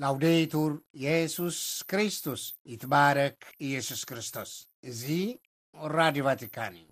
ላውዴቱር የሱስ ክርስቶስ፣ ይትባረክ ኢየሱስ ክርስቶስ። እዚ ራዲዮ ቫቲካን እዩ።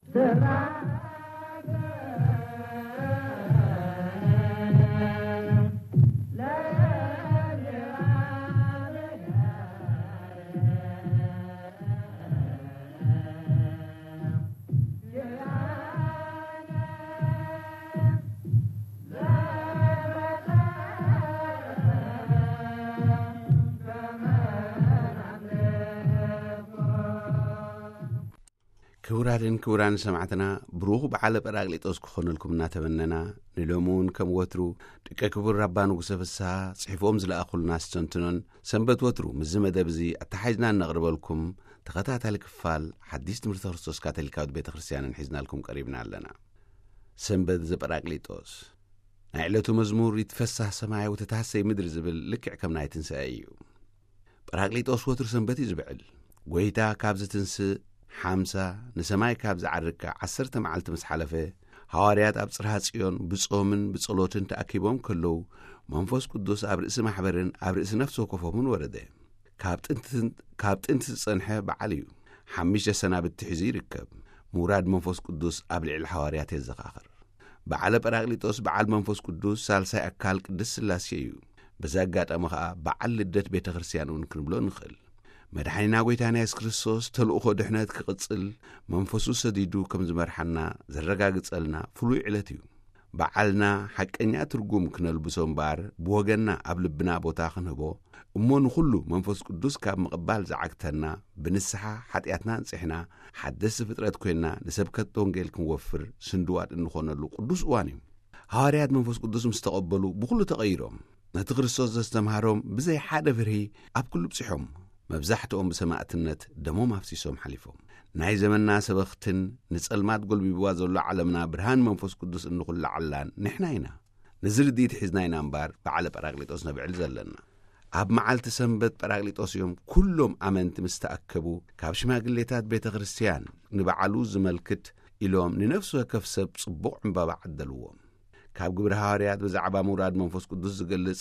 ክቡራትን ክቡራን ሰማዕትና፣ ብሩኽ በዓለ ጳራቅሊጦስ ክኾነልኩም እናተመነና፣ ንሎሚ እውን ከም ወትሩ ደቂ ክቡር ኣባ ንጉሰ ፍስሃ ጽሒፎም ዝለኣኹልና ኣስተንትኖን ሰንበት ወትሩ ምስዚ መደብ እዚ ኣተሓሒዝና እነቕርበልኩም ተኸታታሊ ክፋል ሓዲስ ትምህርቲ ክርስቶስ ካቶሊካዊት ቤተ ክርስቲያንን ሒዝናልኩም ቀሪብና ኣለና። ሰንበት ዘጳራቅሊጦስ። ናይ ዕለቱ መዝሙር "ይትፈሳህ ሰማይ ወተትሃሰይ ምድሪ" ዝብል ልክዕ ከም ናይ ትንሳኤ እዩ። ጳራቅሊጦስ ወትሩ ሰንበት እዩ ዝብዕል። ጎይታ ካብ ዝትንስእ ሓምሳ፣ ንሰማይ ካብ ዝዓርግ ከኣ ዓሰርተ መዓልቲ ምስ ሓለፈ፣ ሃዋርያት ኣብ ጽርሃ ጽዮን ብጾምን ብጸሎትን ተኣኪቦም ከለዉ፣ መንፈስ ቅዱስ ኣብ ርእሲ ማሕበርን ኣብ ርእሲ ነፍሲ ወከፎምን ወረደ። ካብ ጥንቲ፣ ካብ ጥንቲ ዝጸንሐ በዓል እዩ። ሓሙሽተ ሰናብቲ ሒዙ ይርከብ። ምውራድ መንፈስ ቅዱስ ኣብ ልዕሊ ሃዋርያት የዘኻኽር። በዓለ ጳራቅሊጦስ በዓል መንፈስ ቅዱስ ሳልሳይ ኣካል ቅድስት ሥላሴ እዩ። በዚ ኣጋጣሚ ኸኣ በዓል ልደት ቤተ ክርስቲያን እውን ክንብሎ ንኽእል። መድሓኒና ጎይታና የሱስ ክርስቶስ ተልእኾ ድሕነት ክቕጽል መንፈሱ ሰዲዱ ከም ዝመርሓና ዘረጋግጸልና ፍሉይ ዕለት እዩ። በዓልና ሓቀኛ ትርጉም ክነልብሶ እምበኣር፣ ብወገንና ኣብ ልብና ቦታ ክንህቦ፣ እሞ ንኹሉ መንፈስ ቅዱስ ካብ ምቕባል ዝዓግተና፣ ብንስሓ ሓጢኣትና ኣንጺሕና፣ ሓደስቲ ፍጥረት ኮይንና ንሰብከት ወንጌል ክንወፍር ስንድዋት እንኾነሉ ቅዱስ እዋን እዩ። ሃዋርያት መንፈስ ቅዱስ ምስ ተቐበሉ ብኹሉ ተቐይሮም፣ ነቲ ክርስቶስ ዘስተምሃሮም ብዘይ ሓደ ፍርሂ ኣብ ኩሉ ብጺሖም፣ መብዛሕትኦም ብሰማእትነት ደሞም ኣፍሲሶም ሓሊፎም። ናይ ዘመንና ሰበኽትን ንጸልማት ጎልቢብዋ ዘሎ ዓለምና ብርሃን መንፈስ ቅዱስ እንኹላዓላን ንሕና ኢና። ነዚ ርድኢት ሒዝና ኢና እምበኣር በዓለ ጳራቅሊጦስ ነብዕል ዘለና። ኣብ መዓልቲ ሰንበት ጳራቅሊጦስ እዮም ኩሎም ኣመንቲ ምስ ተኣከቡ፣ ካብ ሽማግሌታት ቤተ ክርስቲያን ንበዓሉ ዝመልክት ኢሎም ንነፍሲ ወከፍ ሰብ ጽቡቕ ዕምባባ ዓደልዎም። ካብ ግብሪ ሃዋርያት ብዛዕባ ምውራድ መንፈስ ቅዱስ ዝገልጽ፣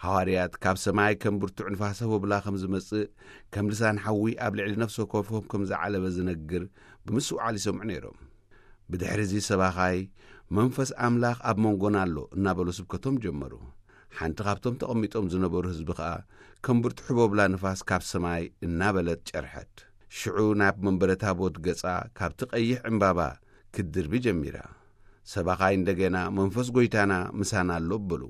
ሃዋርያት ካብ ሰማይ ከም ብርቱዕ ንፋስ ህቦብላ ከም ዝመጽእ፣ ከም ልሳን ሓዊ ኣብ ልዕሊ ነፍሲ ወከፎም ከም ዝዓለበ ዝነግር ብምስትውዓል ይሰምዑ ነይሮም። ብድሕሪ እዚ ሰባኻይ፣ "መንፈስ ኣምላኽ ኣብ መንጎና ኣሎ" እናበሉ ስብከቶም ጀመሩ። ሓንቲ ካብቶም ተቐሚጦም ዝነበሩ ህዝቢ ኸኣ ከም ብርቱዕ ህቦብላ ንፋስ ካብ ሰማይ እናበለት ጨርሐት። ሽዑ ናብ መንበረ ታቦት ገጻ ካብቲ ቀይሕ ዕምባባ ክትድርቢ ጀሚራ። ሰባኻይ እንደገና፣ "መንፈስ ጐይታና ምሳና ኣሎ" በሉ።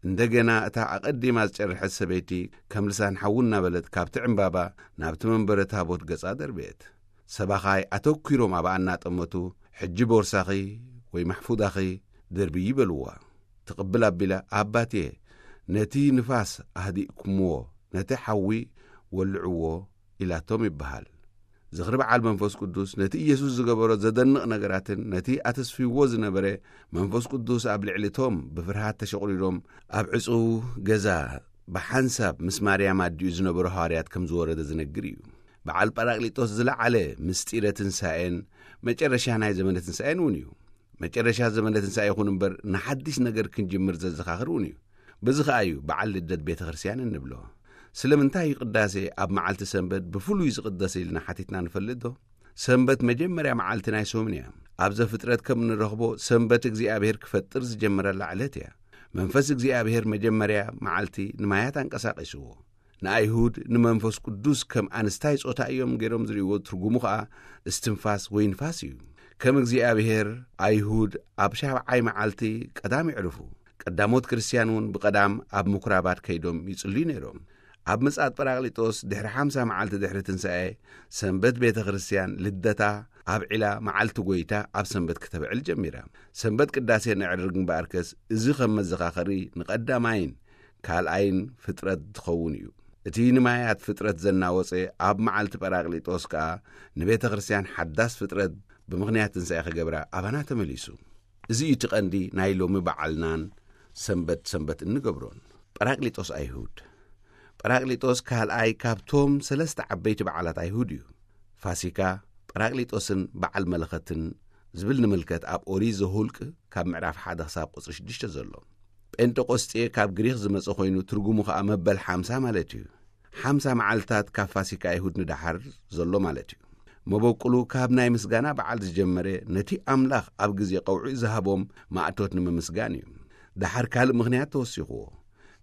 እንደገና እታ ኣቐዲማ ዝጨርሐት ሰበይቲ ከም ልሳን ሓዊ እናበለት ካብቲ ዕምባባ ናብቲ መንበረ ታቦት ገጻ ደርበየት። ሰባኻይ ኣተኲሮም ኣብኣ እናጠመቱ፣ "ሕጂ ቦርሳኺ ወይ ማሕፉዳኺ ደርብዪ" በልዋ። ትቕብል ኣቢላ፣ "ኣባቴ፣ ነቲ ንፋስ ኣህዲእኩምዎ፣ ነቲ ሓዊ ወልዕዎ" ኢላቶም ይበሃል። ዝኽሪ በዓል መንፈስ ቅዱስ ነቲ ኢየሱስ ዝገበሮ ዘደንቕ ነገራትን ነቲ ኣተስፍይዎ ዝነበረ መንፈስ ቅዱስ ኣብ ልዕሊ እቶም ብፍርሃት ተሸቑሪሮም ኣብ ዕጹው ገዛ ብሓንሳብ ምስ ማርያም ኣዲኡ ዝነበሩ ሃዋርያት ከም ዝወረደ ዝነግር እዩ። በዓል ጳራቅሊጦስ ዝለዓለ ምስጢረ ትንሳኤን መጨረሻ ናይ ዘመነ ትንሳኤን እውን እዩ። መጨረሻ ዘመነ ትንሳኤ ይኹን እምበር፣ ንሓድሽ ነገር ክንጅምር ዘዘኻኽር እውን እዩ። በዚ ኸኣ እዩ በዓል ልደት ቤተ ክርስቲያን እንብሎ። ስለምንታይ እዩ ቅዳሴ ኣብ መዓልቲ ሰንበት ብፍሉይ ዝቕደስ ኢልና ሓቲትና ንፈልጥ ዶ? ሰንበት መጀመርያ መዓልቲ ናይ ሰሙን እያ። ኣብ ዘፍጥረት ከም እንረኽቦ፣ ሰንበት እግዚኣብሔር ክፈጥር ዝጀመረላ ዕለት እያ። መንፈስ እግዚኣብሔር መጀመርያ መዓልቲ ንማያት ኣንቀሳቒስዎ። ንኣይሁድ ንመንፈስ ቅዱስ ከም ኣንስታይ ጾታ እዮም ገይሮም ዝርእይዎ። ትርጉሙ ኸኣ እስትንፋስ ወይ ንፋስ እዩ። ከም እግዚኣብሔር፣ ኣይሁድ ኣብ ሻብዓይ መዓልቲ ቀዳም የዕርፉ። ቀዳሞት ክርስትያን እውን ብቐዳም ኣብ ምኩራባት ከይዶም ይጽልዩ ነይሮም። ኣብ ምጽኣት ጳራቅሊጦስ ድሕሪ ሓምሳ መዓልቲ ድሕሪ ትንሳኤ፣ ሰንበት ቤተ ክርስትያን ልደታ ኣብዒላ፣ መዓልቲ ጐይታ ኣብ ሰንበት ክተብዕል ጀሚራ። ሰንበት ቅዳሴ ነዕርግ እምበኣርከስ፣ እዚ ከም መዘኻኸሪ ንቐዳማይን ካልኣይን ፍጥረት ዝኸውን እዩ። እቲ ንማያት ፍጥረት ዘናወጸ ኣብ መዓልቲ ጳራቅሊጦስ ከኣ ንቤተ ክርስትያን ሓዳስ ፍጥረት ብምኽንያት ትንሳኤ ክገብራ ኣባና ተመሊሱ። እዚ እዩ እቲ ቀንዲ ናይ ሎሚ በዓልናን ሰንበት ሰንበት እንገብሮን። ጳራቅሊጦስ ኣይሁድ። ጳራቅሊጦስ ካልኣይ ካብቶም ሰለስተ ዓበይቲ በዓላት ኣይሁድ እዩ። ፋሲካ፣ ጳራቅሊጦስን በዓል መለኸትን ዝብል ንምልከት ኣብ ኦሪት ዘሁልቅ ካብ ምዕራፍ ሓደ ክሳብ ቁጽሪ ሽዱሽተ ዘሎ። ጴንጠቆስጤ ካብ ግሪኽ ዝመጸ ኮይኑ፣ ትርጉሙ ኸኣ መበል ሓምሳ ማለት እዩ። ሓምሳ መዓልታት ካብ ፋሲካ ኣይሁድ ንደሓር ዘሎ ማለት እዩ። መበቁሉ ካብ ናይ ምስጋና በዓል ዝጀመረ፣ ነቲ ኣምላኽ ኣብ ግዜ ቀውዒ ዝሃቦም ማእቶት ንምምስጋን እዩ። ደሓር ካልእ ምኽንያት ተወሲኽዎ።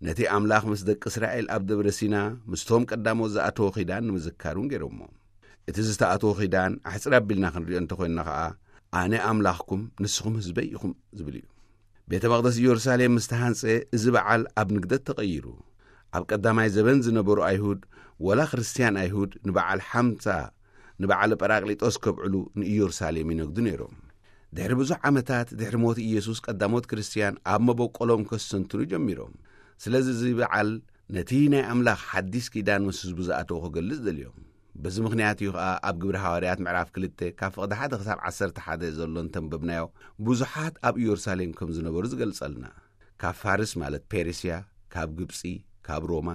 ነቲ ኣምላኽ ምስ ደቂ እስራኤል ኣብ ደብረ ሲና ምስቶም ቀዳሞት ዝኣተወ ኺዳን ንምዝካር እውን ገይሮሞ። እቲ ዝተኣተወ ኺዳን ኣሕጽር ኣቢልና ክንሪኦ እንተኾይንና ኸኣ፣ ኣነ ኣምላኽኩም ንስኹም ህዝበይ ኢኹም ዝብል እዩ። ቤተ መቕደስ ኢየሩሳሌም ምስ ተሃንጸ፣ እዚ በዓል ኣብ ንግደት ተቐይሩ። ኣብ ቀዳማይ ዘበን ዝነበሩ ኣይሁድ፣ ወላ ክርስትያን ኣይሁድ፣ ንበዓል ሓምሳ፣ ንበዓል ጳራቅሊጦስ ከብዕሉ ንኢየሩሳሌም ይነግዱ ነይሮም። ድሕሪ ብዙሕ ዓመታት፣ ድሕሪ ሞት ኢየሱስ፣ ቀዳሞት ክርስትያን ኣብ መበቆሎም ከስተንትኑ ጀሚሮም። ስለዚ እዚ በዓል ነቲ ናይ ኣምላኽ ሓዲስ ኪዳን ምስ ህዝቡ ዝኣተወ ክገልጽ ደልዮም። በዚ ምኽንያት እዩ ኸኣ ኣብ ግብሪ ሃዋርያት ምዕራፍ ክልተ ካብ ፍቕዲ ሓደ ክሳብ ዓሰርተ ሓደ ዘሎ እንተንበብናዮ፣ ብዙሓት ኣብ ኢየሩሳሌም ከም ዝነበሩ ዝገልጸልና። ካብ ፋርስ ማለት ፔርስያ፣ ካብ ግብጺ፣ ካብ ሮማ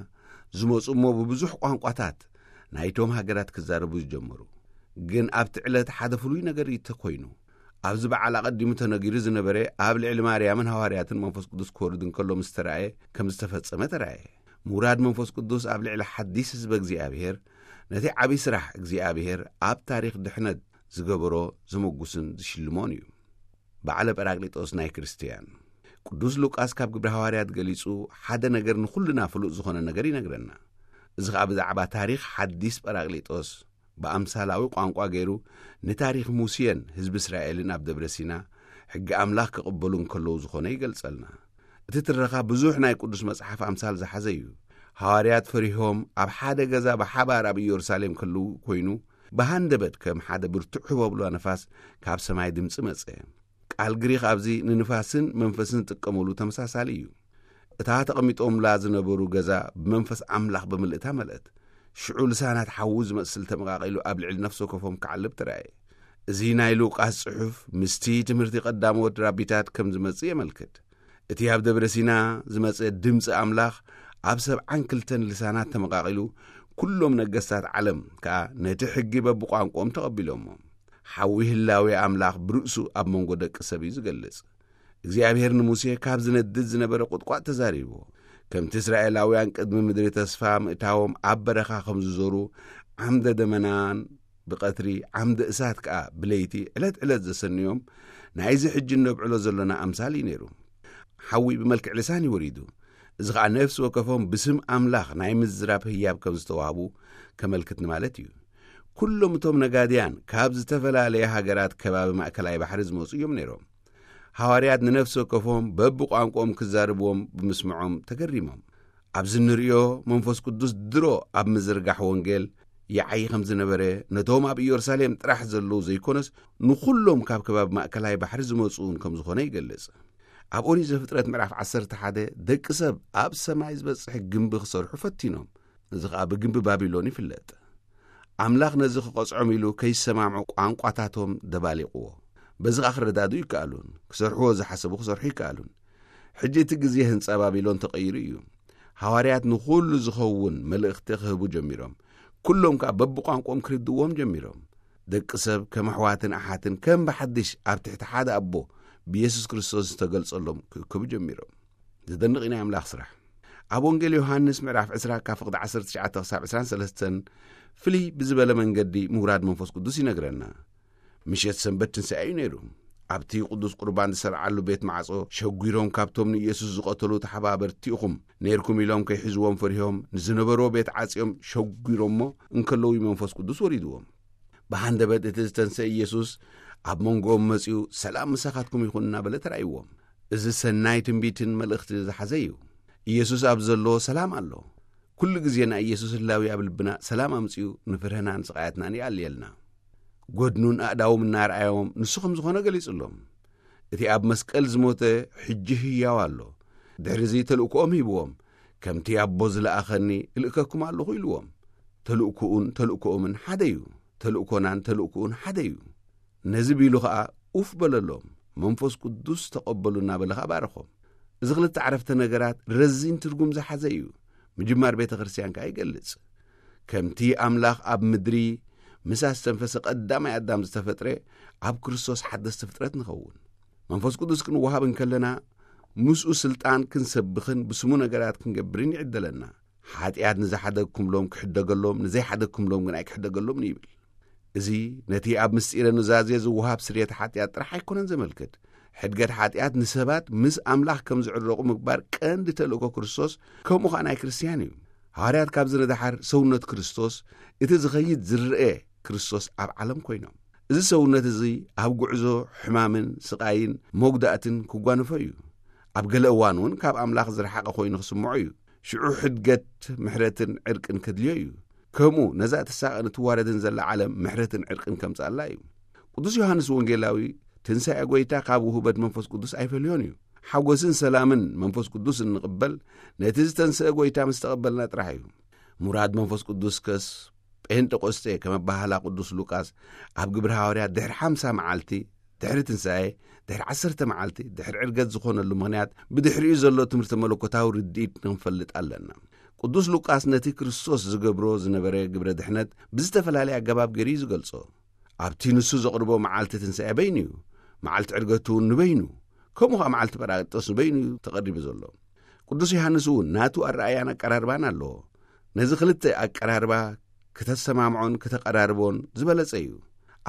ዝመጹ እሞ ብብዙሕ ቋንቋታት ናይቶም ሃገራት ክዛረቡ ዝጀመሩ። ግን ኣብቲ ዕለት ሓደ ፍሉይ ነገር እዩ ተኮይኑ። ኣብዚ በዓል ኣቐዲሙ ተነጊሩ ዝነበረ ኣብ ልዕሊ ማርያምን ሃዋርያትን መንፈስ ቅዱስ ክወርድ እንከሎ ምስ ተራእየ ከም ዝተፈጸመ ተራእየ። ምውራድ መንፈስ ቅዱስ ኣብ ልዕሊ ሓዲስ ህዝበ እግዚኣብሔር ነቲ ዓብዪ ስራሕ እግዚኣብሔር ኣብ ታሪኽ ድሕነት ዝገበሮ ዘመጉስን ዝሽልሞን እዩ። በዓለ ጳራቅሊጦስ ናይ ክርስትያን። ቅዱስ ሉቃስ ካብ ግብሪ ሃዋርያት ገሊጹ ሓደ ነገር ንኹልና ፍሉጥ ዝኾነ ነገር ይነግረና። እዚ ኸኣ ብዛዕባ ታሪኽ ሓዲስ ጳራቅሊጦስ ብኣምሳላዊ ቋንቋ ገይሩ ንታሪኽ ሙሴን ህዝቢ እስራኤልን ኣብ ደብረ ሲና ሕጊ ኣምላኽ ክቕበሉ እንከለዉ ዝኾነ ይገልጸልና። እቲ ትረኻ ብዙሕ ናይ ቅዱስ መጽሓፍ ኣምሳል ዝሓዘ እዩ። ሃዋርያት ፈሪሆም ኣብ ሓደ ገዛ ብሓባር ኣብ ኢየሩሳሌም ከለዉ ኮይኑ፣ ብሃንደበት ከም ሓደ ብርቱዕ ህቦብላ ነፋስ ካብ ሰማይ ድምጺ መጸ። ቃል ግሪኽ ኣብዚ ንንፋስን መንፈስን ዝጥቀመሉ ተመሳሳሊ እዩ። እታ ተቐሚጦምላ ዝነበሩ ገዛ ብመንፈስ ኣምላኽ ብምልእታ መልአት። ሽዑ ልሳናት ሓዊ ዝመስል ተመቓቒሉ ኣብ ልዕሊ ነፍሲ ወከፎም ክዓልብ ተራእየ። እዚ ናይ ሉቃስ ጽሑፍ ምስቲ ትምህርቲ ቀዳሞት ራቢታት ከም ዝመጽእ የመልክት። እቲ ኣብ ደብረ ሲና ዝመጸ ድምጺ ኣምላኽ ኣብ ሰብዓን ክልተን ልሳናት ተመቓቒሉ፣ ኩሎም ነገስታት ዓለም ከኣ ነቲ ሕጊ በብቋንቋኦም ተቐቢሎሞ። ሓዊ ህላዌ ኣምላኽ ብርእሱ ኣብ መንጎ ደቂ ሰብ እዩ ዝገልጽ። እግዚኣብሔር ንሙሴ ካብ ዝነድድ ዝነበረ ቁጥቋጥ ተዛሪብዎ። ከምቲ እስራኤላውያን ቅድሚ ምድሪ ተስፋ ምእታዎም ኣብ በረኻ ከም ዝዞሩ፣ ዓምደ ደመናን ብቐትሪ ዓምደ እሳት ከኣ ብለይቲ ዕለት ዕለት ዘሰንዮም፣ ናይዚ ሕጂ እነብዕሎ ዘሎና ኣምሳል እዩ ነይሩ። ሓዊ ብመልክዕ ልሳን እዩ ወሪዱ። እዚ ኸኣ ነፍሲ ወከፎም ብስም ኣምላኽ ናይ ምዝራብ ህያብ ከም ዝተዋህቡ ከመልክት ንማለት እዩ። ኩሎም እቶም ነጋድያን ካብ ዝተፈላለየ ሃገራት ከባቢ ማእከላይ ባሕሪ ዝመጹ እዮም ነይሮም። ሃዋርያት ንነፍሲ ወከፎም በብቋንቋኦም ክዛረብዎም ብምስምዖም ተገሪሞም። ኣብዚ እንርእዮ መንፈስ ቅዱስ ድሮ ኣብ ምዝርጋሕ ወንጌል ይዓዪ ከም ዝነበረ፣ ነቶም ኣብ ኢየሩሳሌም ጥራሕ ዘለዉ ዘይኮነስ ንኹሎም ካብ ከባቢ ማእከላይ ባሕሪ ዝመጹ እውን ከም ዝኾነ ይገልጽ። ኣብ ኦሪት ዘፍጥረት ምዕራፍ ዓሰርተ ሓደ ደቂ ሰብ ኣብ ሰማይ ዝበጽሕ ግምቢ ክሰርሑ ፈቲኖም። እዚ ኸኣ ብግምቢ ባቢሎን ይፍለጥ። ኣምላኽ ነዚ ክቐጽዖም ኢሉ ከይሰማምዑ ቋንቋታቶም ደባሊቕዎ። በዚ ኸኣ ክረዳድኡ ይከኣሉን ክሰርሕዎ ዝሓሰቡ ክሰርሑ ይከኣሉን። ሕጂ እቲ ግዜ ህንጻ ባቢሎን ተቐይሩ እዩ። ሃዋርያት ንኹሉ ዝኸውን መልእኽቲ ክህቡ ጀሚሮም። ኩሎም ከኣ በብቋንቋኦም ክርድዎም ጀሚሮም። ደቂ ሰብ ከም ኣሕዋትን ኣሓትን ከም ብሓድሽ ኣብ ትሕቲ ሓደ ኣቦ ብየሱስ ክርስቶስ ዝተገልጸሎም ክእከቡ ጀሚሮም። ዘደንቕ እዩ ናይ ኣምላኽ ስራሕ። ኣብ ወንጌል ዮሃንስ ምዕራፍ ዕስራ ካብ ፍቕዲ ዓሰርተ ትሽዓተ ክሳብ ዕስራን ሰለስተን ፍልይ ብዝበለ መንገዲ ምውራድ መንፈስ ቅዱስ ይነግረና። ምሸት ሰንበት ትንሳኤ እዩ ነይሩ። ኣብቲ ቅዱስ ቁርባን ዝሰርዓሉ ቤት ማዕጾ ሸጒሮም ካብቶም ንኢየሱስ ዝቐተሉ ተሓባበርቲ ኢኹም ነይርኩም ኢሎም ከይሕዝዎም ፈሪሆም ንዝነበርዎ ቤት ዓጽዮም ሸጒሮሞ እንከለዉ እዩ መንፈስ ቅዱስ ወሪድዎም። ብሃንደበት እቲ ዝተንሰ ኢየሱስ ኣብ መንጎኦም መጺኡ፣ "ሰላም ምሳኻትኩም ይኹን" እናበለ ተራእይዎም። እዚ ሰናይ ትንቢትን መልእኽቲ ዝሓዘ እዩ። ኢየሱስ ኣብ ዘሎ ሰላም ኣሎ። ኩሉ ግዜ ናይ ኢየሱስ ህላዊ ኣብ ልብና ሰላም ኣምጺኡ ንፍርህናን ስቓያትናን ይኣልየልና። ጎድኑን ኣእዳዎም እናረኣዮም ንሱ ከም ዝኾነ ገሊጹሎም። እቲ ኣብ መስቀል ዝሞተ ሕጂ ህያው ኣሎ። ድሕሪዚ ተልእኮኦም ሂብዎም። "ከምቲ ኣቦ ዝለኣኸኒ እልእከኩም ኣለኹ" ኢልዎም። ተልእኮኡን ተልእኮኦምን ሓደ እዩ። ተልእኮናን ተልእኮኡን ሓደ እዩ። ነዚ ቢሉ ኸኣ ኡፍ በለሎም። "መንፈስ ቅዱስ ተቐበሉ" እናበለ ኸኣ ባረኾም። እዚ ክልተ ዓረፍተ ነገራት ረዚን ትርጉም ዝሓዘ እዩ። ምጅማር ቤተ ክርስቲያን ከኣ ይገልጽ። ከምቲ ኣምላኽ ኣብ ምድሪ ምስ ኣስተንፈሰ ቀዳማይ ኣዳም ዝተፈጥረ፣ ኣብ ክርስቶስ ሓደስቲ ፍጥረት ንኸውን። መንፈስ ቅዱስ ክንወሃብ እንከለና፣ ምስኡ ስልጣን ክንሰብኽን ብስሙ ነገራት ክንገብርን ይዕደለና። ሓጢኣት ንዝሓደግኩምሎም ክሕደገሎም፣ ንዘይሓደግኩምሎም ግን ኣይክሕደገሎምን ይብል። እዚ ነቲ ኣብ ምስጢረ ኑዛዜ ዝወሃብ ስርየት ሓጢኣት ጥራሕ ኣይኮነን ዘመልክት። ሕድገት ሓጢኣት ንሰባት ምስ ኣምላኽ ከም ዝዕረቑ ምግባር ቀንዲ ተልእኮ ክርስቶስ፣ ከምኡ ኸኣ ናይ ክርስትያን እዩ። ሃዋርያት ካብዚ ንደሓር ሰውነት ክርስቶስ፣ እቲ ዝኸይድ ዝረአ ክርስቶስ ኣብ ዓለም ኮይኖም። እዚ ሰውነት እዚ ኣብ ጉዕዞ ሕማምን ስቓይን መጉዳእትን ክጓንፎ እዩ። ኣብ ገለ እዋን እውን ካብ ኣምላኽ ዝረሓቐ ኮይኑ ክስምዖ እዩ። ሽዑ ሕድገት ምሕረትን ዕርቅን ከድልዮ እዩ። ከምኡ ነዛ እትሳቐን እትዋረድን ዘላ ዓለም ምሕረትን ዕርቅን ከምጽኣላ እዩ። ቅዱስ ዮሃንስ ወንጌላዊ ትንሳኤ ጐይታ ካብ ውህበት መንፈስ ቅዱስ ኣይፈልዮን እዩ። ሓጎስን ሰላምን መንፈስ ቅዱስ እንቕበል ነቲ ዝተንስአ ጐይታ ምስ ተቐበልና ጥራሕ እዩ። ሙራድ መንፈስ ቅዱስ ከስ ጴንጠቆስጤ ከም ኣባህላ ቅዱስ ሉቃስ ኣብ ግብሪ ሃዋርያት ድሕሪ ሓምሳ መዓልቲ ድሕሪ ትንሳኤ፣ ድሕሪ ዓሰርተ መዓልቲ ድሕሪ ዕርገት ዝኾነሉ ምኽንያት ብድሕሪኡ ዘሎ ትምህርቲ መለኮታዊ ርድኢት ክንፈልጥ ኣለና። ቅዱስ ሉቃስ ነቲ ክርስቶስ ዝገብሮ ዝነበረ ግብረ ድሕነት ብዝተፈላለየ ኣገባብ ገይሩ እዩ ዝገልጾ። ኣብቲ ንሱ ዘቕርቦ መዓልቲ ትንሳኤ በይኑ እዩ። መዓልቲ ዕርገቱ እውን ንበይኑ፣ ከምኡ ኸኣ መዓልቲ ጳራቅሊጦስ ንበይኑ እዩ ተቐሪቡ ዘሎ። ቅዱስ ዮሃንስ እውን ናቱ ኣረኣያን ኣቀራርባን ኣለዎ። ነዚ ክልተ ኣቀራርባ ክተሰማምዖን ክተቐራርቦን ዝበለጸ እዩ።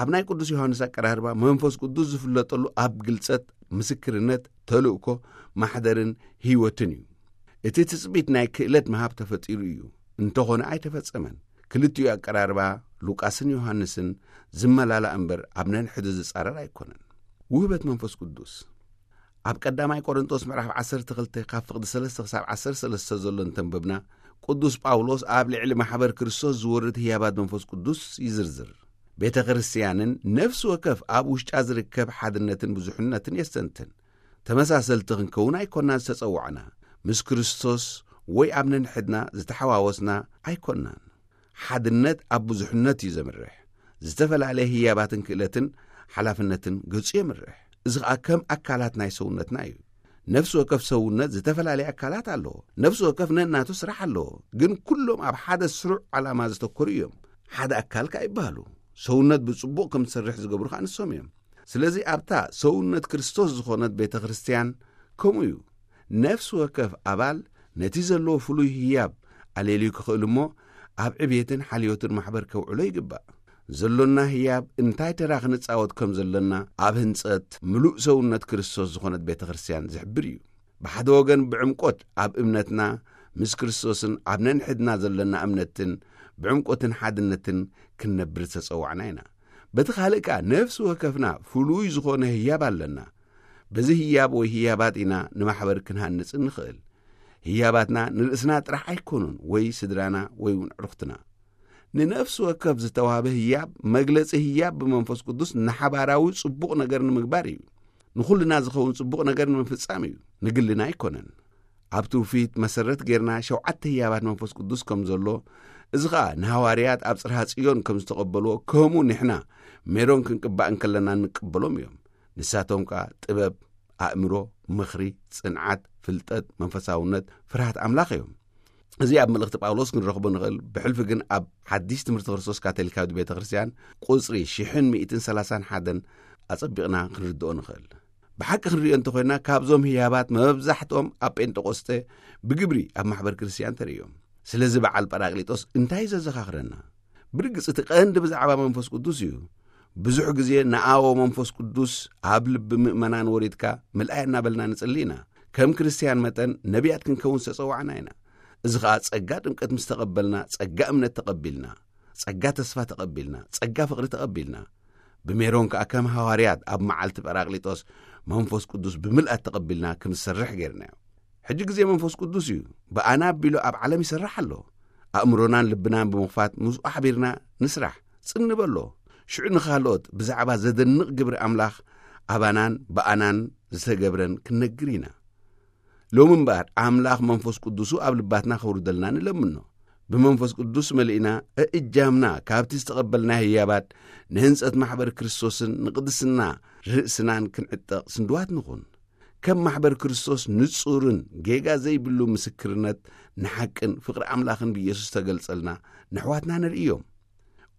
ኣብ ናይ ቅዱስ ዮሃንስ ኣቀራርባ መንፈስ ቅዱስ ዝፍለጠሉ ኣብ ግልጸት፣ ምስክርነት፣ ተልእኮ፣ ማሕደርን ህይወትን እዩ። እቲ ትጽቢት ናይ ክእለት ምሃብ ተፈጢሩ እዩ፣ እንተኾነ ኣይተፈጸመን። ክልቲኡ ኣቀራርባ ሉቃስን ዮሃንስን ዝመላላእ እምበር ኣብ ነንሕዱ ዝጻረር ኣይኮነን። ውህበት መንፈስ ቅዱስ ኣብ ቀዳማይ ቆሮንጦስ ምዕራፍ ዓሰርተ ክልተ ካብ ፍቕዲ ሰለስተ ክሳብ ዓሰርተ ሰለስተ ዘሎ እንተንበብና፣ ቅዱስ ጳውሎስ ኣብ ልዕሊ ማሕበር ክርስቶስ ዝወርድ ህያባት መንፈስ ቅዱስ ይዝርዝር። ቤተ ክርስትያንን ነፍሲ ወከፍ ኣብ ውሽጣ ዝርከብ ሓድነትን ብዙሕነትን የስተንትን። ተመሳሰልቲ ክንከውን ኣይኮናን ዝተጸዋዕና። ምስ ክርስቶስ ወይ ኣብ ነንሕድና ዝተሓዋወስና ኣይኮናን። ሓድነት ኣብ ብዙሕነት እዩ ዘምርሕ። ዝተፈላለየ ህያባትን ክእለትን ሓላፍነትን ገጹ የምርሕ። እዚ ኸኣ ከም ኣካላት ናይ ሰውነትና እዩ። ነፍሲ ወከፍ ሰውነት ዝተፈላለየ ኣካላት ኣለዎ። ነፍሲ ወከፍ ነናቱ ስራሕ ኣለዎ። ግን ኩሎም ኣብ ሓደ ስሩዕ ዓላማ ዝተኮሩ እዮም። ሓደ ኣካል ከኣ ይበሃሉ። ሰውነት ብጽቡቕ ከም ትሰርሕ ዝገብሩ ከኣ ንሶም እዮም። ስለዚ ኣብታ ሰውነት ክርስቶስ ዝኾነት ቤተ ክርስትያን ከምኡ እዩ። ነፍሲ ወከፍ ኣባል ነቲ ዘለዎ ፍሉይ ህያብ ኣሌልዩ ክኽእል እሞ፣ ኣብ ዕብየትን ሓልዮትን ማሕበር ከውዕሎ ይግባእ። ዘሎና ህያብ እንታይ ተራ ክንጻወት ከም ዘሎና ኣብ ህንጸት ምሉእ ሰውነት ክርስቶስ ዝኾነት ቤተ ክርስትያን ዝሕብር እዩ። ብሓደ ወገን ብዕምቆት ኣብ እምነትና ምስ ክርስቶስን ኣብ ነንሕድና ዘሎና እምነትን ብዕምቆትን ሓድነትን ክንነብር ዝተጸዋዕና ኢና። በቲ ካልእ ከኣ ነፍሲ ወከፍና ፍሉይ ዝኾነ ህያብ ኣለና። በዚ ህያብ ወይ ህያባት ኢና ንማሕበር ክንሃንጽ እንኽእል። ህያባትና ንርእስና ጥራሕ ኣይኮኑን ወይ ስድራና ወይ እውን ዕሩኽትና። ንነፍሲ ወከፍ ዝተዋህበ ህያብ መግለጺ ህያብ ብመንፈስ ቅዱስ ንሓባራዊ ጽቡቕ ነገር ንምግባር እዩ። ንኹልና ዝኸውን ጽቡቕ ነገር ንምፍጻም እዩ። ንግልና ኣይኮነን። ኣብ ትውፊት መሰረት ጌርና ሸውዓተ ህያባት መንፈስ ቅዱስ ከም ዘሎ፣ እዚ ኸኣ ንሃዋርያት ኣብ ጽርሃ ጽዮን ከም ዝተቐበልዎ፣ ከምኡ ንሕና ሜሮን ክንቅባእ እንከለና እንቀበሎም እዮም። ንሳቶም ከኣ ጥበብ፣ ኣእምሮ፣ ምኽሪ፣ ጽንዓት፣ ፍልጠት፣ መንፈሳውነት፣ ፍርሃት ኣምላኽ እዮም። እዚ ኣብ መልእኽቲ ጳውሎስ ክንረኽቦ ንኽእል። ብሕልፊ ግን ኣብ ሓዲስ ትምህርቲ ክርስቶስ ካቶሊካዊት ቤተ ክርስትያን ቁጽሪ ሽሕን ሚእትን ሰላሳን ሓደን ኣጸቢቕና ክንርድኦ ንኽእል። ብሓቂ ክንርእዮ እንተኾይና፣ ካብዞም ህያባት መብዛሕትኦም ኣብ ጴንጠቆስጠ ብግብሪ ኣብ ማሕበር ክርስትያን ተርእዮም። ስለዚ በዓል ጳራቅሊጦስ እንታይ እዩ ዘዘኻኽረና? ብርግጽ እቲ ቀንዲ ብዛዕባ መንፈስ ቅዱስ እዩ። ብዙሕ ግዜ ንኣዎ መንፈስ ቅዱስ ኣብ ልቢ ምእመናን ወሪድካ ምልኣይ እናበልና ንጽሊ ኢና። ከም ክርስትያን መጠን ነቢያት ክንከውን ዝተጸዋዕና ኢና። እዚ ኸኣ ጸጋ ጥምቀት ምስ ተቐበልና፣ ጸጋ እምነት ተቐቢልና፣ ጸጋ ተስፋ ተቐቢልና፣ ጸጋ ፍቕሪ ተቐቢልና፣ ብሜሮን ከኣ ከም ሃዋርያት ኣብ መዓልቲ ጳራቅሊጦስ መንፈስ ቅዱስ ብምልኣት ተቐቢልና ክንሰርሕ ጌርናዮ። ሕጂ ግዜ መንፈስ ቅዱስ እዩ። ብኣና ኣቢሉ ኣብ ዓለም ይሰርሕ ኣሎ። ኣእምሮናን ልብናን ብምኽፋት ምስኡ ሓቢርና ንስራሕ፣ ጽኒ በሎ። ሽዑ ንኻልኦት ብዛዕባ ዘደንቕ ግብሪ ኣምላኽ ኣባናን ብኣናን ዝተገብረን ክንነግር ኢና። ሎሚ እምበኣር ኣምላኽ መንፈስ ቅዱሱ ኣብ ልባትና ከውርደልና ንለምኖ። ብመንፈስ ቅዱስ መሊእና እእጃምና ካብቲ ዝተቐበልናዮ ህያባት ንህንጸት ማሕበር ክርስቶስን ንቅድስና ርእስናን ክንዕጠቕ ስንድዋት ንኹን። ከም ማሕበር ክርስቶስ ንጹርን ጌጋ ዘይብሉ ምስክርነት ንሓቅን ፍቕሪ ኣምላኽን ብኢየሱስ ተገልጸልና ንኣሕዋትና ነርእዮም።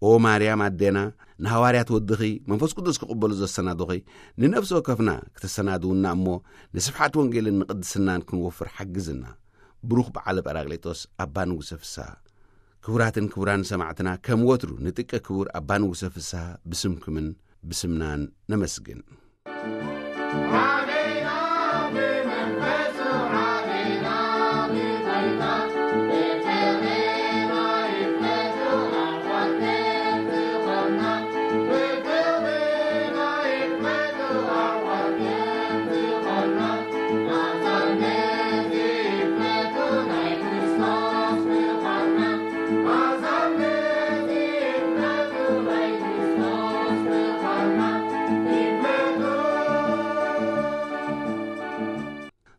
ኦ ማርያም ኣዴና፣ ንሃዋርያት ወድኺ መንፈስ ቅዱስ ክቕበሉ ዘሰናዱኺ፣ ንነፍሲ ወከፍና ክትሰናድውና እሞ፣ ንስፍሓት ወንጌልን ንቕድስናን ክንወፍር ሓግዝና። ብሩኽ በዓለ ጳራቅሊጦስ ኣባ ንጉሰ ፍስሃ። ክቡራትን ክቡራን ሰማዕትና፣ ከም ወትሩ ንጥቀ ክቡር ኣባ ንጉሰ ፍስሃ ብስምኩምን ብስምናን ነመስግን።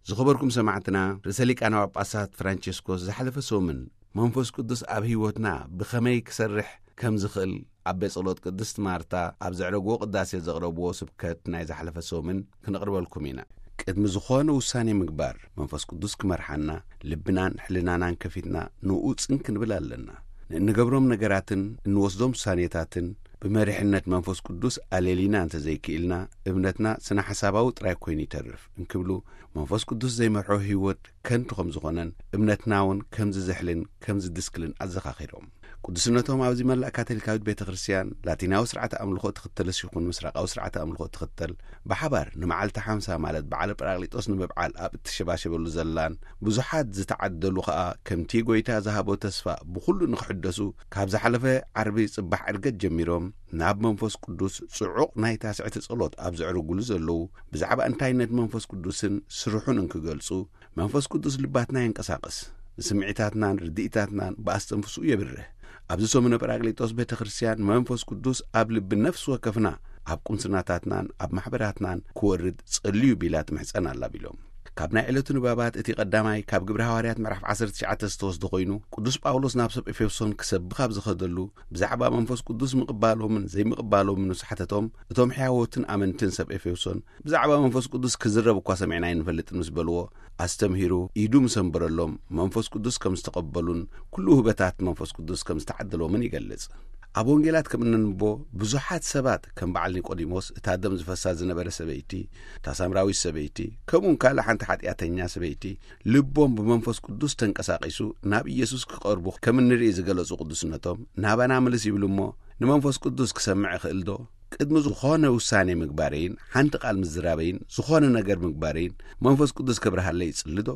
ዝኸበርኩም ሰማዕትና፣ ርእሰ ሊቃነ ጳጳሳት ፍራንቸስኮስ ዝሓለፈ ሰሙን መንፈስ ቅዱስ ኣብ ህይወትና ብኸመይ ክሰርሕ ከም ዝኽእል ኣብ ቤት ጸሎት ቅድስት ማርታ ኣብ ዘዕረግዎ ቅዳሴ ዘቕረብዎ ስብከት ናይ ዝሓለፈ ሰሙን ክነቕርበልኩም ኢና። ቅድሚ ዝኾነ ውሳኔ ምግባር መንፈስ ቅዱስ ክመርሓና፣ ልብናን ሕልናናን ከፊትና ንኡ ጽን ክንብል ኣለና። ንእንገብሮም ነገራትን እንወስዶም ውሳኔታትን ብመሪሕነት መንፈስ ቅዱስ ኣለሊና እንተዘይክኢልና፣ እምነትና ስነ ሓሳባዊ ጥራይ ኮይኑ ይተርፍ እንክብሉ፣ መንፈስ ቅዱስ ዘይመርሖ ህይወት ከንቱ ከም ዝኾነን እምነትና እውን ከም ዝዝሕልን ከም ዝድስክልን ኣዘኻኺሮም። ቅዱስነቶም ኣብዚ መላእ ካቶሊካዊት ቤተ ክርስቲያን ላቲናዊ ስርዓተ ኣምልኾ ትኽተልስ ይኹን ምስራቃዊ ስርዓተ ኣምልኾ ትኽተል፣ ብሓባር ንመዓልቲ ሓምሳ ማለት በዓለ ጳራቅሊጦስ ንምብዓል ኣብ እትሸባሸበሉ ዘላን ብዙሓት ዝተዓደሉ ከኣ ከምቲ ጎይታ ዝሃቦ ተስፋ ብኹሉ ንኽሕደሱ ካብ ዝሓለፈ ዓርቢ ጽባሕ ዕርገት ጀሚሮም ናብ መንፈስ ቅዱስ ጽዑቕ ናይ ታስዕቲ ጸሎት ኣብ ዘዕርጉሉ ዘለዉ ብዛዕባ እንታይነት መንፈስ ቅዱስን ስርሑን እንክገልጹ መንፈስ ቅዱስ ልባትና የንቀሳቕስ፣ ንስምዒታትናን ርድኢታትናን ብኣስተንፍስኡ የብርህ። ኣብዚ ሰሙነ ጳራቅሊጦስ ቤተ ክርስቲያን መንፈስ ቅዱስ ኣብ ልቢ ነፍሲ ወከፍና ኣብ ቁምስናታትናን ኣብ ማሕበራትናን ክወርድ ጸልዩ ቢላ ትምሕጸን ኣላ ቢሎም። ካብ ናይ ዕለቱ ንባባት እቲ ቀዳማይ ካብ ግብረ ሃዋርያት ምዕራፍ ዓሰርተ ትሽዓተ ዝተወስደ ኮይኑ ቅዱስ ጳውሎስ ናብ ሰብ ኤፌሶን ክሰብኽ ኣብ ዝኸደሉ ብዛዕባ መንፈስ ቅዱስ ምቕባሎምን ዘይምቕባሎምን ምስ ሓተቶም እቶም ሕያዎትን ኣመንትን ሰብ ኤፌሶን ብዛዕባ መንፈስ ቅዱስ ክዝረብ እኳ ሰሚዕና ኣይንፈልጥን ምስ በልዎ ኣስተምሂሩ ኢዱ ምስ ኣንበረሎም መንፈስ ቅዱስ ከም ዝተቐበሉን ኩሉ ውህበታት መንፈስ ቅዱስ ከም ዝተዓደሎምን ይገልጽ። ኣብ ወንጌላት ከም እነንብቦ ብዙሓት ሰባት ከም በዓል ኒቆዲሞስ እታ ደም ዝፈሳ ዝነበረ ሰበይቲ፣ እታ ሳምራዊት ሰበይቲ፣ ከምኡውን ካልእ ሓንቲ ሓጢኣተኛ ሰበይቲ ልቦም ብመንፈስ ቅዱስ ተንቀሳቒሱ ናብ ኢየሱስ ክቐርቡ ከም እንርኢ ዝገለጹ ቅዱስነቶም ናባና ምልስ ይብሉ እሞ ንመንፈስ ቅዱስ ክሰምዕ እኽእል ዶ? ቅድሚ ዝኾነ ውሳኔ ምግባረይን ሓንቲ ቃል ምዝራበይን ዝኾነ ነገር ምግባረይን መንፈስ ቅዱስ ከብርሃለይ ይጽሊ ዶ?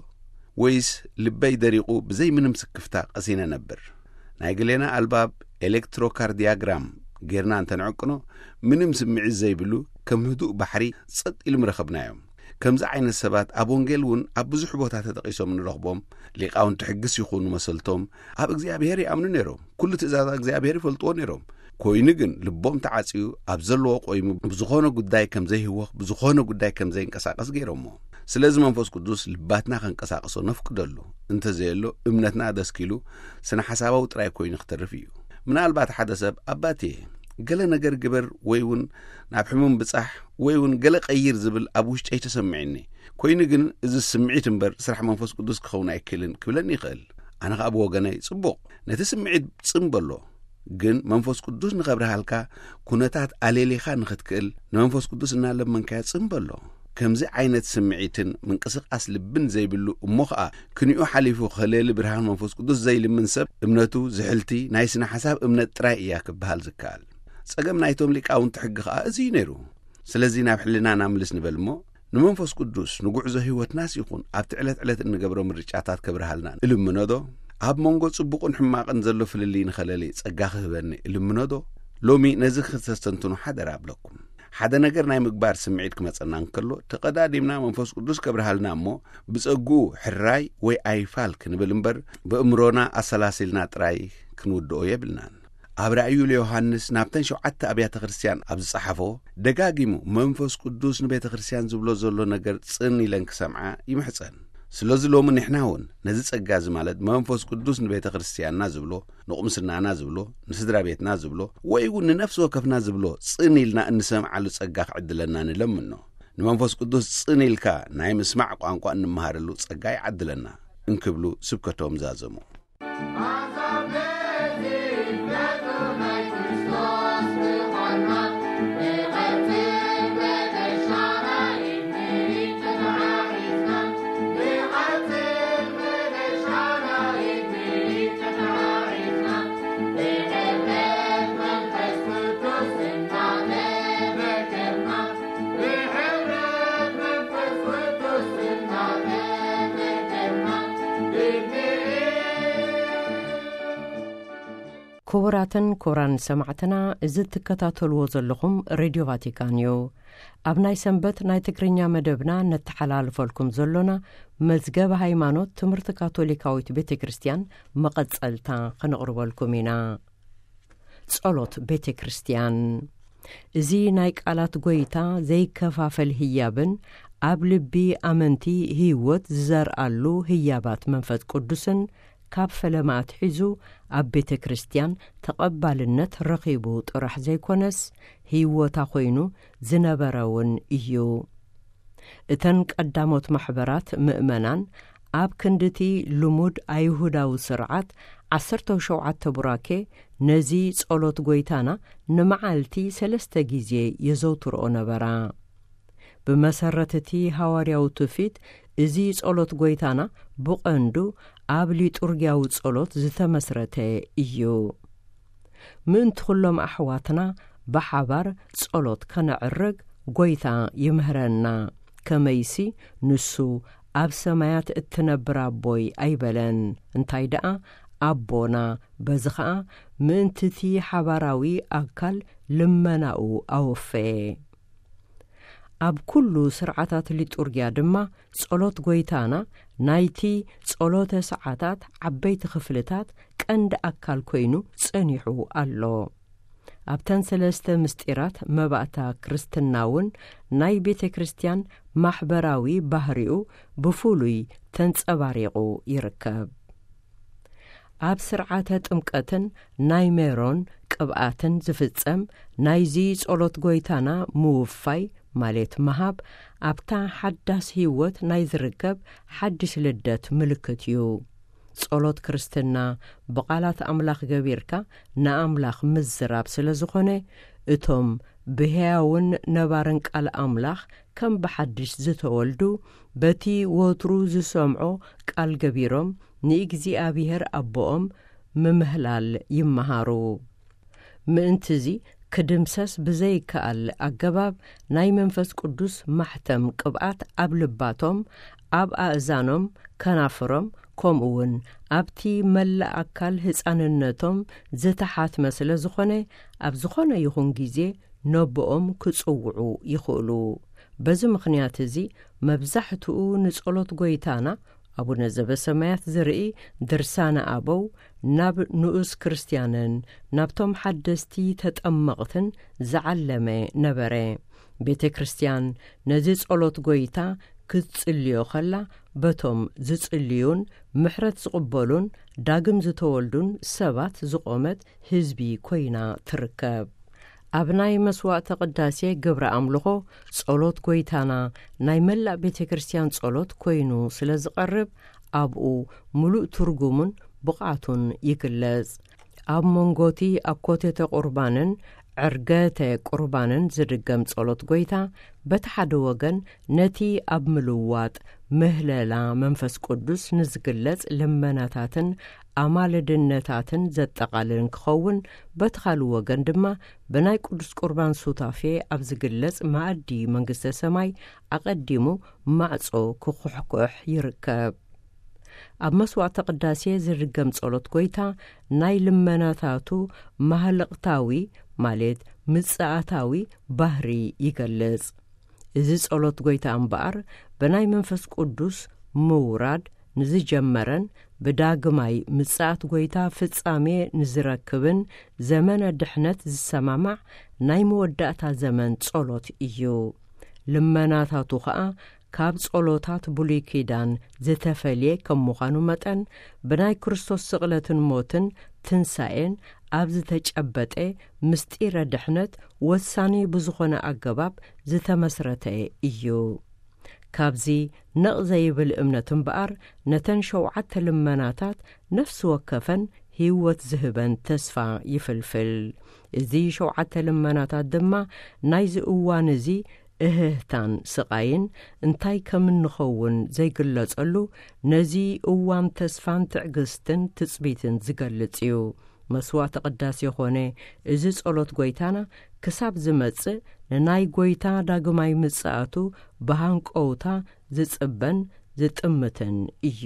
ወይስ ልበይ ደሪቑ ብዘይ ምንም ስክፍታ ቀሲነ ነብር? ናይ ገሌና ኣልባብ ኤሌክትሮካርዲያግራም ጌርና እንተንዕቅኖ ምንም ስምዒት ዘይብሉ ከም ህዱእ ባሕሪ ጸጥ ኢሉ ምረኸብናዮም። ከምዚ ዓይነት ሰባት ኣብ ወንጌል እውን ኣብ ብዙሕ ቦታ ተጠቒሶም ንረኽቦም ሊቃውንቲ ሕግስ ይኹኑ መሰልቶም ኣብ እግዚኣብሔር ይኣምኑ ነይሮም። ኩሉ ትእዛዛት እግዚኣብሔር ይፈልጥዎ ነይሮም። ኮይኑ ግን ልቦም ተዓጽዩ ኣብ ዘለዎ ቆይሙ ብዝኾነ ጉዳይ ከም ዘይህወኽ ብዝኾነ ጉዳይ ከም ዘይንቀሳቀስ ገይሮሞ። ስለዚ መንፈስ ቅዱስ ልባትና ከንቀሳቀሶ ነፍቅደሉ። እንተዘየሎ እምነትና ደስኪሉ ስነ ሓሳባዊ ጥራይ ኮይኑ ክተርፍ እዩ። ምናልባት ሓደ ሰብ ኣባቴ ገለ ነገር ግበር ወይ እውን ናብ ሕሙም ብጻሕ ወይ እውን ገለ ቀይር ዝብል ኣብ ውሽጠይ ተሰሚዕኒ። ኮይኑ ግን እዚ ስምዒት እምበር ስራሕ መንፈስ ቅዱስ ክኸውን ኣይክእልን ክብለኒ ይኽእል። ኣነ ኸኣ ብወገነይ ጽቡቕ ነቲ ስምዒት ጽምበሎ። ግን መንፈስ ቅዱስ ንኸብርሃልካ ኩነታት ኣሌሊኻ ንኽትክእል ንመንፈስ ቅዱስ እናለመንካዮ ጽምበሎ። ከምዚ ዓይነት ስምዒትን ምንቅስቃስ ልብን ዘይብሉ እሞ ኸኣ ክንኡ ሓሊፉ ከሌሊ ብርሃን መንፈስ ቅዱስ ዘይልምን ሰብ እምነቱ ዝሕልቲ ናይ ስነ ሓሳብ እምነት ጥራይ እያ ክበሃል ዝከኣል። ጸገም ናይቶም ሊቃውንቲ ሕጊ ኸኣ እዚ እዩ ነይሩ። ስለዚ ናብ ሕልናና ምልስ ንበል እሞ ንመንፈስ ቅዱስ ንጉዕዞ ህይወትናስ ይኹን ኣብቲ ዕለት ዕለት እንገብሮ ምርጫታት ከብርሃልና እልምኖ ዶ? ኣብ መንጎ ጽቡቕን ሕማቕን ዘሎ ፍልልይ ንኸለሊ ጸጋ ክህበኒ እልምኖ ዶ? ሎሚ ነዚ ክተስተንትኑ ሓደራ እብለኩም። ሓደ ነገር ናይ ምግባር ስምዒት ክመጸና እንከሎ ተቐዳዲምና መንፈስ ቅዱስ ከብርሃልና እሞ ብጸግኡ ሕራይ ወይ ኣይፋል ክንብል እምበር ብእምሮና ኣሰላሲልና ጥራይ ክንውድኦ የብልናን። ኣብ ራእዩ ለዮሃንስ ናብተን ሸውዓተ ኣብያተ ክርስቲያን ኣብ ዝጸሓፎ ደጋጊሙ መንፈስ ቅዱስ ንቤተ ክርስቲያን ዝብሎ ዘሎ ነገር ጽን ኢለን ክሰምዓ ይምሕጸን። ስለዚ ሎሚ ንሕና እውን ነዚ ጸጋ እዚ ማለት መንፈስ ቅዱስ ንቤተ ክርስቲያንና ዝብሎ ንቑምስናና ዝብሎ ንስድራ ቤትና ዝብሎ ወይ እውን ንነፍሲ ወከፍና ዝብሎ ጽን ኢልና እንሰምዓሉ ጸጋ ክዕድለና ንለምኖ። ንመንፈስ ቅዱስ ጽን ኢልካ ናይ ምስማዕ ቋንቋ እንመሃረሉ ጸጋ ይዓድለና እንክብሉ ስብከቶም ዛዘሙ። ክቡራትን ክቡራን ሰማዕትና፣ እዚ እትከታተልዎ ዘለኹም ሬድዮ ቫቲካን እዩ። ኣብ ናይ ሰንበት ናይ ትግርኛ መደብና ነተሓላልፈልኩም ዘሎና መዝገብ ሃይማኖት ትምህርቲ ካቶሊካዊት ቤተ ክርስቲያን መቐጸልታ ክነቕርበልኩም ኢና። ጸሎት ቤተ ክርስቲያን። እዚ ናይ ቃላት ጎይታ ዘይከፋፈል ህያብን ኣብ ልቢ ኣመንቲ ህይወት ዝዘርኣሉ ህያባት መንፈስ ቅዱስን ካብ ፈለማ ኣትሒዙ ኣብ ቤተ ክርስቲያን ተቐባልነት ረኺቡ ጥራሕ ዘይኮነስ፣ ህይወታ ኮይኑ ዝነበረ እውን እዩ። እተን ቀዳሞት ማሕበራት ምእመናን ኣብ ክንድቲ ልሙድ ኣይሁዳዊ ስርዓት ዓሰርተ ሸውዓተ ቡራኬ ነዚ ጸሎት ጎይታና ንመዓልቲ ሰለስተ ግዜ የዘውትርኦ ነበራ። ብመሰረት እቲ ሃዋርያዊ ትውፊት፣ እዚ ጸሎት ጎይታና ብቐንዱ ኣብ ሊጡርግያዊ ጸሎት ዝተመስረተ እዩ። ምእንቲ ኩሎም ኣሕዋትና ብሓባር ጸሎት ከነዕርግ ጎይታ ይምህረና። ከመይሲ ንሱ ኣብ ሰማያት እትነብር ኣቦይ ኣይበለን፣ እንታይ ደኣ ኣቦና። በዚ ኸኣ ምእንቲ እቲ ሓባራዊ ኣካል ልመናኡ ኣወፈየ። ኣብ ኩሉ ስርዓታት ሊጡርግያ ድማ ጸሎት ጎይታና ናይቲ ጸሎተ ሰዓታት ዓበይቲ ክፍልታት ቀንዲ ኣካል ኮይኑ ጸኒሑ ኣሎ። ኣብተን ሰለስተ ምስጢራት መባእታ ክርስትና እውን ናይ ቤተ ክርስቲያን ማሕበራዊ ባህሪኡ ብፍሉይ ተንጸባሪቑ ይርከብ። ኣብ ስርዓተ ጥምቀትን ናይ ሜሮን ቅብኣትን ዝፍጸም ናይዚ ጸሎት ጎይታና ምውፋይ ማለት ምሃብ፣ ኣብታ ሓዳስ ህይወት ናይ ዝርከብ ሓድሽ ልደት ምልክት እዩ። ጸሎት ክርስትና ብቓላት ኣምላኽ ገቢርካ ንኣምላኽ ምዝራብ ስለ ዝኾነ፣ እቶም ብሕያውን ነባርን ቃል ኣምላኽ ከም ብሓድሽ ዝተወልዱ፣ በቲ ወትሩ ዝሰምዖ ቃል ገቢሮም ንእግዚኣብሔር ኣቦኦም ምምህላል ይመሃሩ። ምእንቲ እዚ ክድምሰስ ብዘይከኣል ኣገባብ ናይ መንፈስ ቅዱስ ማሕተም ቅብኣት ኣብ ልባቶም፣ ኣብ ኣእዛኖም፣ ከናፍሮም፣ ከምኡ እውን ኣብቲ መላእ ኣካል ህጻንነቶም ዝተሓትመ ስለ ዝኾነ፣ ኣብ ዝኾነ ይኹን ግዜ ነቦኦም ክጽውዑ ይኽእሉ። በዚ ምኽንያት እዚ መብዛሕትኡ ንጸሎት ጎይታና ኣቡነ ዘበሰማያት ዝርኢ ድርሳነ ኣበው ናብ ንኡስ ክርስትያንን ናብቶም ሓደስቲ ተጠመቕትን ዝዓለመ ነበረ። ቤተ ክርስትያን ነዚ ጸሎት ጎይታ ክትጽልዮ ከላ፣ በቶም ዝጽልዩን ምሕረት ዝቕበሉን ዳግም ዝተወልዱን ሰባት ዝቖመት ህዝቢ ኮይና ትርከብ። ኣብ ናይ መስዋዕተ ቅዳሴ ግብረ ኣምልኾ ጸሎት ጎይታና ናይ መላእ ቤተ ክርስቲያን ጸሎት ኮይኑ ስለ ዝቐርብ፣ ኣብኡ ምሉእ ትርጉሙን ብቕዓቱን ይግለጽ። ኣብ መንጎቲ ኣኮቴተ ቁርባንን ዕርገተ ቁርባንን ዝድገም ጸሎት ጎይታ፣ በቲ ሓደ ወገን ነቲ ኣብ ምልዋጥ ምህለላ መንፈስ ቅዱስ ንዝግለጽ ልመናታትን ኣማልድነታትን ዘጠቓልል እንክኸውን፣ በቲ ካልእ ወገን ድማ ብናይ ቅዱስ ቁርባን ሱታፌ ኣብ ዝግለጽ መኣዲ መንግስተ ሰማይ ኣቐዲሙ ማዕጾ ክኹሕኩሕ ይርከብ። ኣብ መስዋዕተ ቅዳሴ ዝድገም ጸሎት ጎይታ ናይ ልመናታቱ ማህለቕታዊ ማለት ምጽኣታዊ ባህሪ ይገልጽ። እዚ ጸሎት ጎይታ እምበኣር ብናይ መንፈስ ቅዱስ ምውራድ ንዝጀመረን ብዳግማይ ምጽኣት ጎይታ ፍጻሜ ንዝረክብን ዘመነ ድሕነት ዝሰማማዕ ናይ መወዳእታ ዘመን ጸሎት እዩ። ልመናታቱ ኸኣ ካብ ጸሎታት ብሉይ ኪዳን ዝተፈልየ ከም ምዃኑ መጠን፣ ብናይ ክርስቶስ ስቕለትን ሞትን ትንሳኤን ኣብ ዝተጨበጠ ምስጢረ ድሕነት ወሳኒ ብዝኾነ ኣገባብ ዝተመስረተ እዩ። ካብዚ ነቕ ዘይብል እምነት እምበኣር፣ ነተን ሸውዓተ ልመናታት ነፍሲ ወከፈን ህይወት ዝህበን ተስፋ ይፍልፍል። እዚ ሸውዓተ ልመናታት ድማ ናይዚ እዋን እዚ እህህታን ስቓይን እንታይ ከም እንኸውን ዘይግለጸሉ፣ ነዚ እዋን ተስፋን ትዕግስትን ትጽቢትን ዝገልጽ እዩ። መስዋዕተ ቅዳሴ ኾነ እዚ ጸሎት ጎይታና ክሳብ ዝመጽእ፣ ንናይ ጎይታ ዳግማይ ምጽኣቱ ብሃንቀውታ ዝጽበን ዝጥምትን እዩ።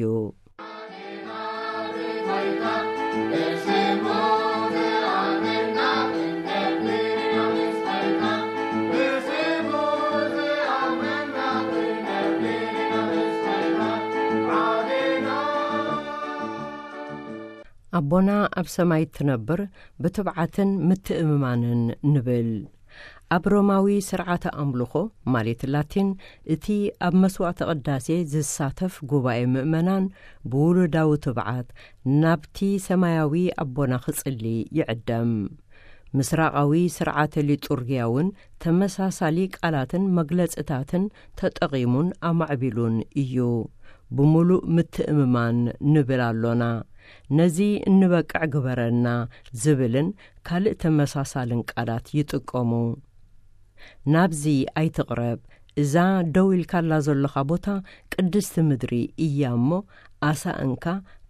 ኣቦና ኣብ ሰማይ ትነብር ብትብዓትን ምትእምማንን ንብል። ኣብ ሮማዊ ስርዓተ ኣምልኾ፣ ማለት ላቲን፣ እቲ ኣብ መስዋዕተ ቅዳሴ ዝሳተፍ ጉባኤ ምእመናን ብውሉዳዊ ትብዓት ናብቲ ሰማያዊ ኣቦና ክጽሊ ይዕደም። ምስራቓዊ ስርዓተ ሊጡርግያ እውን ተመሳሳሊ ቃላትን መግለጽታትን ተጠቒሙን ኣማዕቢሉን እዩ። ብምሉእ ምትእምማን ንብል ኣሎና። ነዚ እንበቅዕ ግበረና ዝብልን ካልእ ተመሳሳልን ቃላት ይጥቀሙ። ናብዚ ኣይትቕረብ፣ እዛ ደው ኢልካላ ዘለኻ ቦታ ቅድስቲ ምድሪ እያ እሞ፣ ኣሳእንካ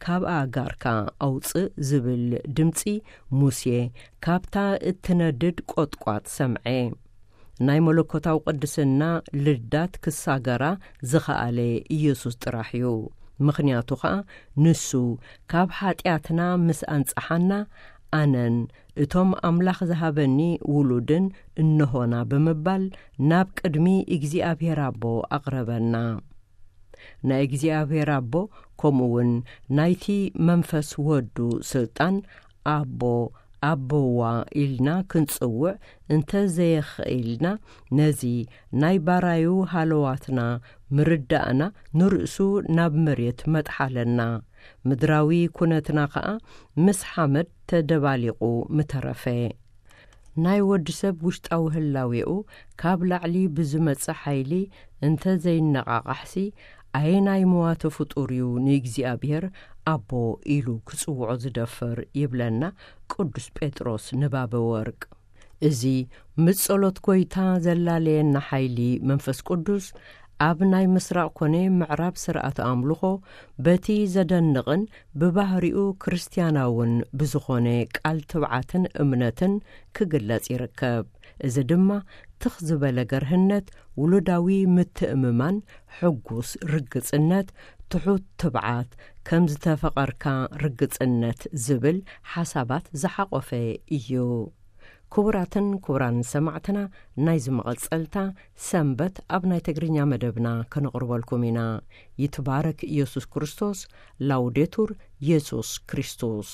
ካብ ኣእጋርካ ኣውጽእ ዝብል ድምጺ ሙሴ ካብታ እትነድድ ቆጥቋጥ ሰምዐ። ናይ መለኮታዊ ቅድስና ልዳት ክሳገራ ዝኸኣለ ኢየሱስ ጥራሕ እዩ። ምኽንያቱ ኸኣ ንሱ ካብ ሓጢኣትና ምስ ኣንጽሓና፣ ኣነን እቶም ኣምላኽ ዝሃበኒ ውሉድን እንሆና ብምባል ናብ ቅድሚ እግዚኣብሔር ኣቦ ኣቕረበና። ናይ እግዚኣብሔር ኣቦ ከምኡ እውን ናይቲ መንፈስ ወዱ ስልጣን ኣቦ ኣቦዋ ኢልና ክንጽውዕ እንተ ዘየኽኢልና፣ ነዚ ናይ ባራዩ ሃለዋትና ምርዳእና ንርእሱ ናብ መሬት መጥሓለና። ምድራዊ ኩነትና ኸኣ ምስ ሓመድ ተደባሊቑ ምተረፈ። ናይ ወዲ ሰብ ውሽጣዊ ህላዌኡ ካብ ላዕሊ ብዝመጽእ ሓይሊ እንተ ዘይነቓቓሕሲ፣ ኣየናይ መዋተ ፍጡር እዩ ንእግዚኣብሔር ኣቦ ኢሉ ክጽውዖ ዝደፍር? ይብለና ቅዱስ ጴጥሮስ ንባበ ወርቅ። እዚ ምስ ጸሎት ጐይታ ዘላለየና ሓይሊ መንፈስ ቅዱስ ኣብ ናይ ምስራቕ ኮነ ምዕራብ ስርዓተ ኣምልኾ በቲ ዘደንቕን ብባህሪኡ ክርስትያናውን ብዝኾነ ቃል ትብዓትን እምነትን ክግለጽ ይርከብ። እዚ ድማ ትኽ ዝበለ ገርህነት፣ ውሉዳዊ ምትእምማን፣ ሕጉስ ርግጽነት፣ ትሑት ትብዓት፣ ከም ዝተፈቐርካ ርግጽነት ዝብል ሓሳባት ዝሓቖፈ እዩ። ክቡራትን ክቡራን ሰማዕትና፣ ናይዚ መቐጸልታ ሰንበት ኣብ ናይ ትግርኛ መደብና ከነቕርበልኩም ኢና። ይትባረክ ኢየሱስ ክርስቶስ። ላውዴቱር ኢየሱስ ክርስቶስ።